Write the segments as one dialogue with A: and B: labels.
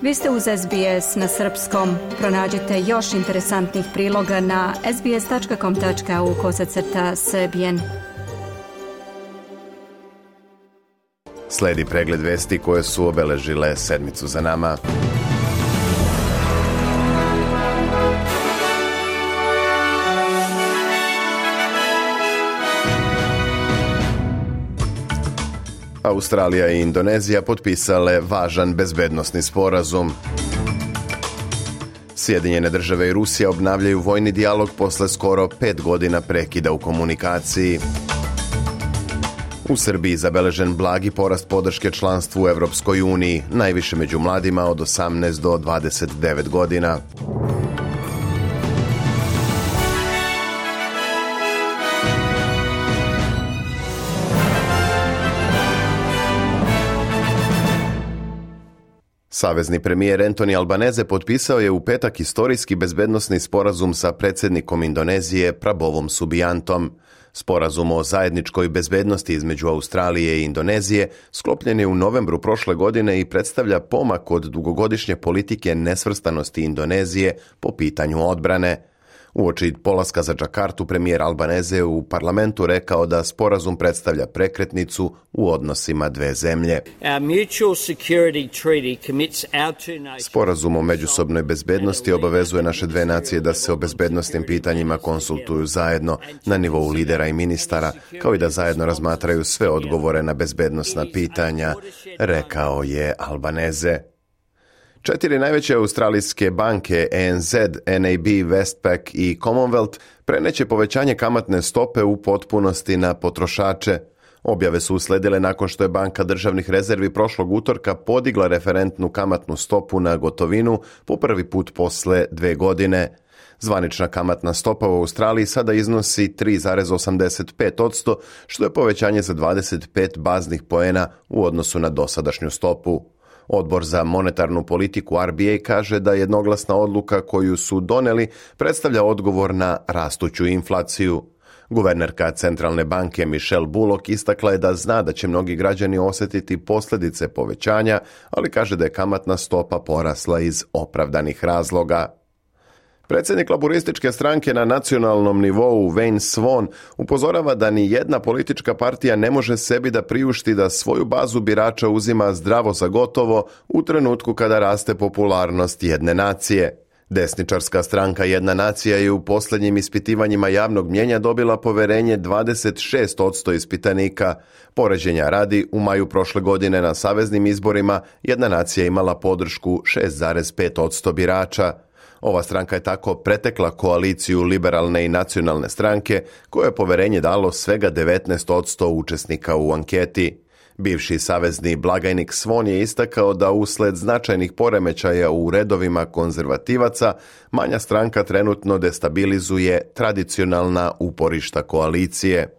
A: Vi ste uz SBS na srpskom. Pronađite još interesantnih priloga na sbs.com.au/srbijen.
B: Sledi pregled vesti koje su obeležile sedmicu za nama. Australija i Indonezija potpisale važan bezbednosni sporazum. Sjedinjene države i Rusija obnavljaju vojni dijalog posle skoro 5 godina prekida u komunikaciji. U Srbiji zabeležen blagi porast podrške članstvu u Evropskoj uniji, najviše među mladima od 18 do 29 godina. Savezni premijer Antoni Albanese potpisao je u petak istorijski bezbednosni sporazum sa predsjednikom Indonezije Prabovom Subiantom. Sporazum o zajedničkoj bezbednosti između Australije i Indonezije sklopljen je u novembru prošle godine i predstavlja pomak od dugogodišnje politike nesvrstanosti Indonezije po pitanju odbrane. Uoči polaska za Džakartu, premijer Albanese u parlamentu rekao da sporazum predstavlja prekretnicu u odnosima dve zemlje. Sporazum o međusobnoj bezbednosti obavezuje naše dve nacije da se o bezbednosnim pitanjima konsultuju zajedno na nivou lidera i ministara, kao i da zajedno razmatraju sve odgovore na bezbednosna pitanja, rekao je Albanese. 4 najveće australijske banke ANZ, NAB, Westpac i Commonwealth preneće povećanje kamatne stope u potpunosti na potrošače. Objave su usledile nakon što je Banka državnih rezervi prošlog utorka podigla referentnu kamatnu stopu na gotovinu po prvi put posle 2 godine. Zvanična kamatna stopa u Australiji sada iznosi 3,85%, što je povećanje za 25 baznih poena u odnosu na dosadašnju stopu. Odbor za monetarnu politiku RBA kaže da jednoglasna odluka koju su doneli predstavlja odgovor na rastuću inflaciju. Guvernerka Centralne banke Michelle Bullock istakla je da zna da će mnogi građani osjetiti posljedice povećanja, ali kaže da je kamatna stopa porasla iz opravdanih razloga. Predsjednik laborističke stranke na nacionalnom nivou Wayne Swan upozorava da ni jedna politička partija ne može sebi da priušti da svoju bazu birača uzima zdravo za gotovo u trenutku kada raste popularnost jedne nacije. Desničarska stranka Jedna nacija je u posljednjim ispitivanjima javnog mnjenja dobila poverenje 26% ispitanika. Poređenja radi, u maju prošle godine na saveznim izborima Jedna nacija imala podršku 6,5% birača. Ova stranka je tako pretekla koaliciju liberalne i nacionalne stranke, koje je poverenje dalo svega 19% učesnika u anketi. Bivši savezni blagajnik Swan je istakao da usled značajnih poremećaja u redovima konzervativaca, manja stranka trenutno destabilizuje tradicionalna uporišta koalicije.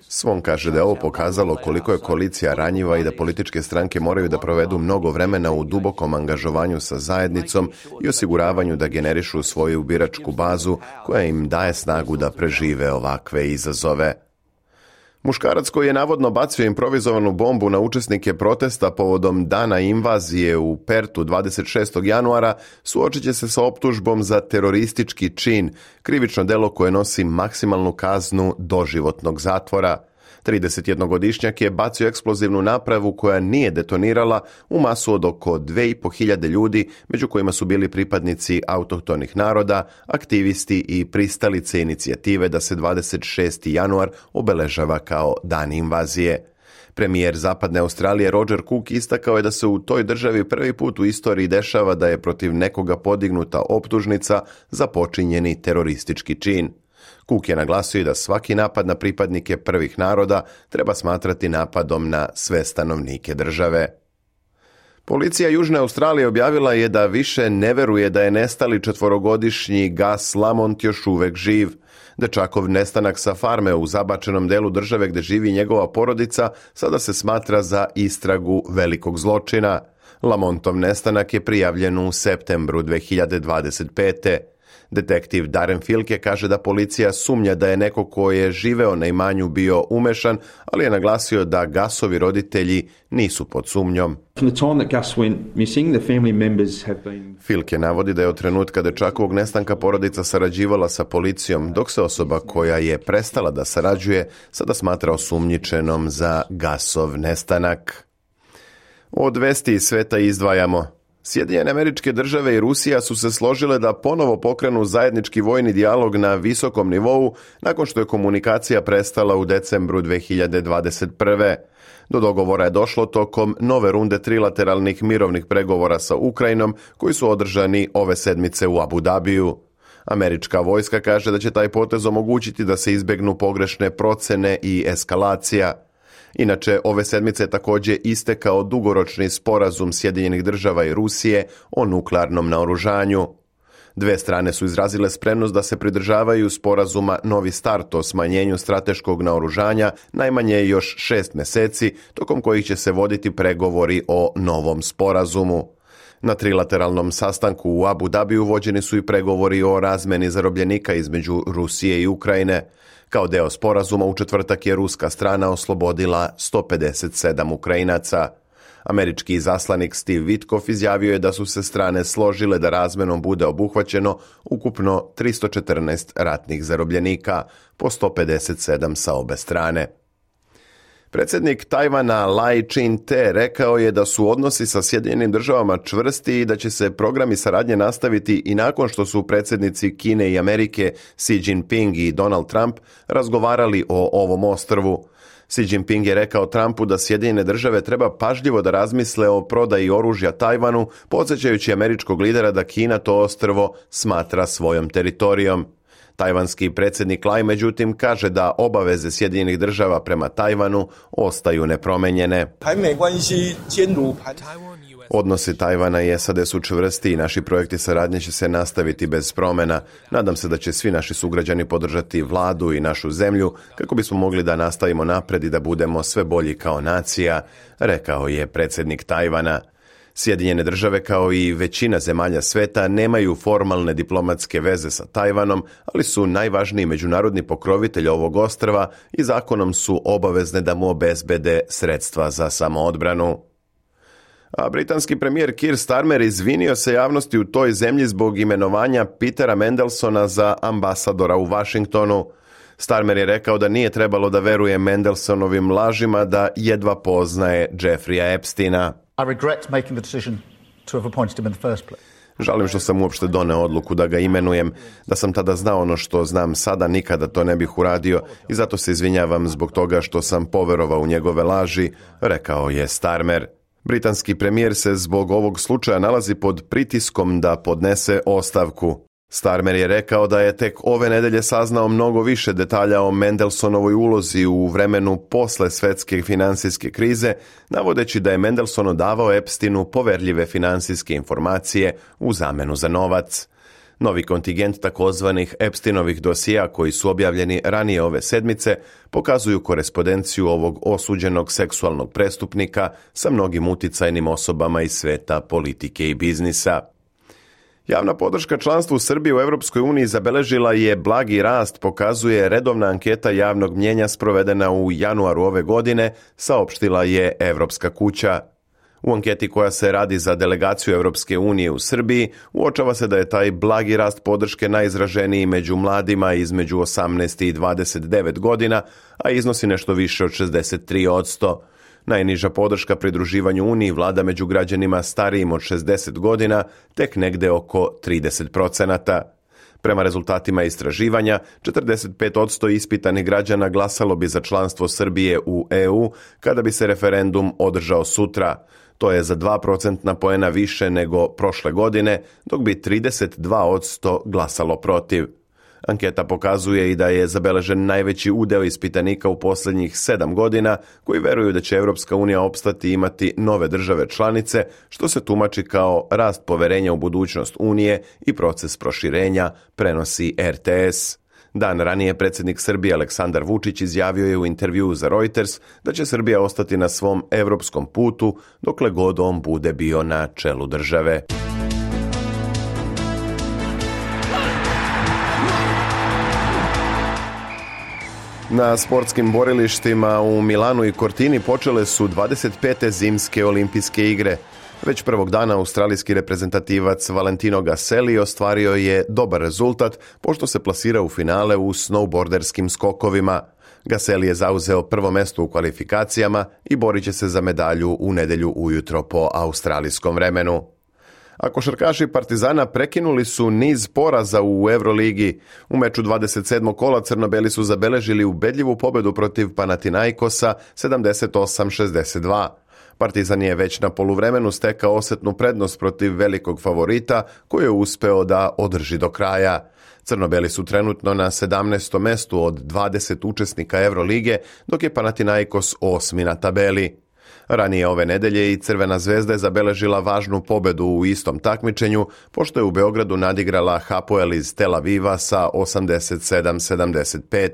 B: Swan kaže da je ovo pokazalo koliko je koalicija ranjiva i da političke stranke moraju da provedu mnogo vremena u dubokom angažovanju sa zajednicom i osiguravanju da generišu svoju biračku bazu koja im daje snagu da prežive ovakve izazove. Muškarac koji je navodno bacio improvizovanu bombu na učesnike protesta povodom dana invazije u Pertu 26. januara suočit će se sa optužbom za teroristički čin, krivično delo koje nosi maksimalnu kaznu doživotnog zatvora. 31-godišnjak je bacio eksplozivnu napravu koja nije detonirala u masu od oko 2.500 ljudi, među kojima su bili pripadnici autohtonih naroda, aktivisti i pristalice inicijative da se 26. januar obeležava kao dan invazije. Premijer Zapadne Australije Roger Cook istakao je da se u toj državi prvi put u istoriji dešava da je protiv nekoga podignuta optužnica za počinjeni teroristički čin. Cook je naglasio da svaki napad na pripadnike prvih naroda treba smatrati napadom na sve stanovnike države. Policija Južne Australije objavila je da više ne veruje da je nestali 4-godišnji Gus Lamont još uvek živ. Dečakov nestanak sa farme u zabačenom delu države gde živi njegova porodica sada se smatra za istragu velikog zločina. Lamontov nestanak je prijavljen u septembru 2025. Detektiv Darren Filke kaže da policija sumnja da je neko ko je živeo na imanju bio umešan, ali je naglasio da Gasovi roditelji nisu pod sumnjom. Filke navodi da je od trenutka dečakovog nestanka porodica sarađivala sa policijom, dok se osoba koja je prestala da sarađuje sada smatra osumnjičenom za Gasov nestanak. Od vesti iz sveta izdvajamo. Sjedinjene Američke Države i Rusija su se složile da ponovo pokrenu zajednički vojni dijalog na visokom nivou nakon što je komunikacija prestala u decembru 2021. Do dogovora je došlo tokom nove runde trilateralnih mirovnih pregovora sa Ukrajinom koji su održani ove sedmice u Abu Dhabiju. Američka vojska kaže da će taj potez omogućiti da se izbjegnu pogrešne procene i eskalacija. Inače, ove sedmice je također istekao dugoročni sporazum Sjedinjenih Država i Rusije o nuklearnom naoružanju. Dve strane su izrazile spremnost da se pridržavaju sporazuma Novi start o smanjenju strateškog naoružanja najmanje još 6 mjeseci, tokom kojih će se voditi pregovori o novom sporazumu. Na trilateralnom sastanku u Abu Dhabiju vođeni su i pregovori o razmeni zarobljenika između Rusije i Ukrajine. Kao deo sporazuma u četvrtak je ruska strana oslobodila 157 Ukrajinaca. Američki izaslanik Steve Witkoff izjavio je da su se strane složile da razmenom bude obuhvaćeno ukupno 314 ratnih zarobljenika, po 157 sa obe strane. Predsjednik Tajvana Lai Ching-te rekao je da su odnosi sa Sjedinjenim Državama čvrsti i da će se programi saradnje nastaviti i nakon što su predsjednici Kine i Amerike Xi Jinping i Donald Trump razgovarali o ovom ostrvu. Xi Jinping je rekao Trumpu da Sjedinjene Države treba pažljivo da razmisle o prodaji oružja Tajvanu, podsjećajući američkog lidera da Kina to ostrvo smatra svojom teritorijom. Tajvanski predsjednik Lai međutim kaže da obaveze Sjedinjenih Država prema Tajvanu ostaju nepromenjene. Odnosi Tajvana i SAD su čvrsti i naši projekti saradnje će se nastaviti bez promjena. Nadam se da će svi naši sugrađani podržati vladu i našu zemlju kako bismo mogli da nastavimo napred i da budemo sve bolji kao nacija, rekao je predsjednik Tajvana. Sjedinjene Države kao i većina zemalja sveta nemaju formalne diplomatske veze sa Tajvanom, ali su najvažniji međunarodni pokrovitelj ovog ostrva i zakonom su obavezne da mu obezbede sredstva za samoodbranu. A britanski premijer Keir Starmer izvinio se javnosti u toj zemlji zbog imenovanja Petera Mandelsona za ambasadora u Washingtonu. Starmer je rekao da nije trebalo da veruje Mandelsonovim lažima da jedva poznaje Jeffreya Epsteina.
C: I regret making the decision to have appointed him in the first place.
B: Žalim što sam uopšte doneo odluku da ga imenujem. Da sam tada znao ono što znam sada, nikada to ne bih uradio i zato se izvinjavam zbog toga što sam poverovao u njegove laži, rekao je Starmer. Britanski premijer se zbog ovog slučaja nalazi pod pritiskom da podnese ostavku. Starmer je rekao da je tek ove nedelje saznao mnogo više detalja o Mandelsonovoj ulozi u vremenu posle svetske finansijske krize, navodeći da je Mandelson davao Epsteinu poverljive finansijske informacije u zamenu za novac. Novi kontingent takozvanih Epsteinovih dosija koji su objavljeni ranije ove sedmice pokazuju korespondenciju ovog osuđenog seksualnog prestupnika sa mnogim uticajnim osobama iz sveta politike i biznisa. Javna podrška članstvu Srbije u Europskoj uniji zabeležila je blagi rast, pokazuje redovna anketa javnog mnjenja sprovedena u januaru ove godine, saopštila je Evropska kuća. U anketi koja se radi za delegaciju Europske unije u Srbiji, uočava se da je taj blagi rast podrške najizraženiji među mladima između 18 i 29 godina, a iznosi nešto više od 63%. Najniža podrška pridruživanju Uniji vlada među građanima starijim od 60 godina, tek negde oko 30%. Prema rezultatima istraživanja, 45% ispitanih građana glasalo bi za članstvo Srbije u EU kada bi se referendum održao sutra. To je za 2% poena više nego prošle godine, dok bi 32% glasalo protiv. Anketa pokazuje i da je zabeležen najveći udeo ispitanika u posljednjih 7 godina koji veruju da će Europska unija opstati i imati nove države članice, što se tumači kao rast poverenja u budućnost Unije i proces proširenja, prenosi RTS. Dan ranije predsjednik Srbije Aleksandar Vučić izjavio je u intervjuu za Reuters da će Srbija ostati na svom europskom putu dokle god on bude bio na čelu države. Na sportskim borilištima u Milanu i Cortini počele su 25. zimske olimpijske igre. Već prvog dana australijski reprezentativac Valentino Gaselli ostvario je dobar rezultat pošto se plasira u finale u snowboarderskim skokovima. Gaselli je zauzeo prvo mesto u kvalifikacijama i borit će se za medalju u nedjelju ujutro po australijskom vremenu. A košarkaši Partizana prekinuli su niz poraza u Euroligi. U meču 27. kola crno-beli su zabeležili ubedljivu pobedu protiv Panathinaikosa 78-62. Partizan je već na poluvremenu stekao osjetnu prednost protiv velikog favorita koji je uspeo da održi do kraja. Crno-beli su trenutno na 17. mestu od 20 učesnika Eurolige, dok je Panathinaikos 8. na tabeli. Ranije ove nedelje i Crvena zvezda je zabeležila važnu pobedu u istom takmičenju, pošto je u Beogradu nadigrala Hapoel iz Tel Aviva sa 87-75.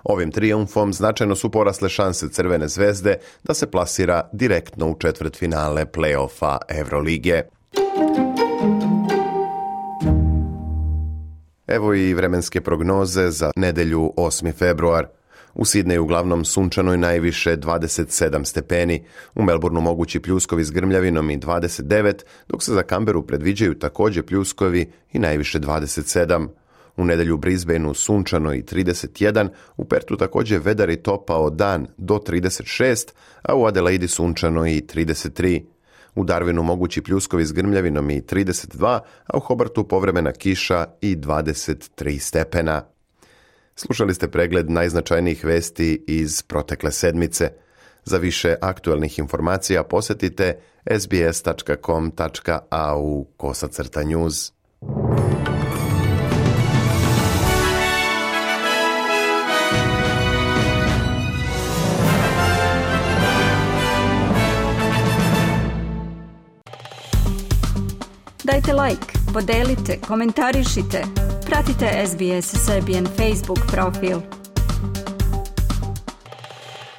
B: Ovim trijumfom značajno su porasle šanse Crvene zvezde da se plasira direktno u četvrtfinale play-offa Eurolige. Evo i vremenske prognoze za nedjelju 8. februar. U Sidneju uglavnom sunčano i najviše 27 stepeni, u Melbourneu mogući pljuskovi s grmljavinom i 29, dok se za Canberru predviđaju također pljuskovi i najviše 27. U nedjelju u Brisbaneu sunčano i 31, u Pertu također vedar i topao dan do 36, a u Adelaidi sunčano i 33. U Darwinu mogući pljuskovi s grmljavinom i 32, a u Hobartu povremena kiša i 23 stepena. Slušali ste pregled najznačajnijih vesti iz protekle sedmice. Za više aktualnih informacija posjetite sbs.com.au/news.
A: Dajte like, podelite, komentarišite. Pratite SBS Serbian Facebook profil.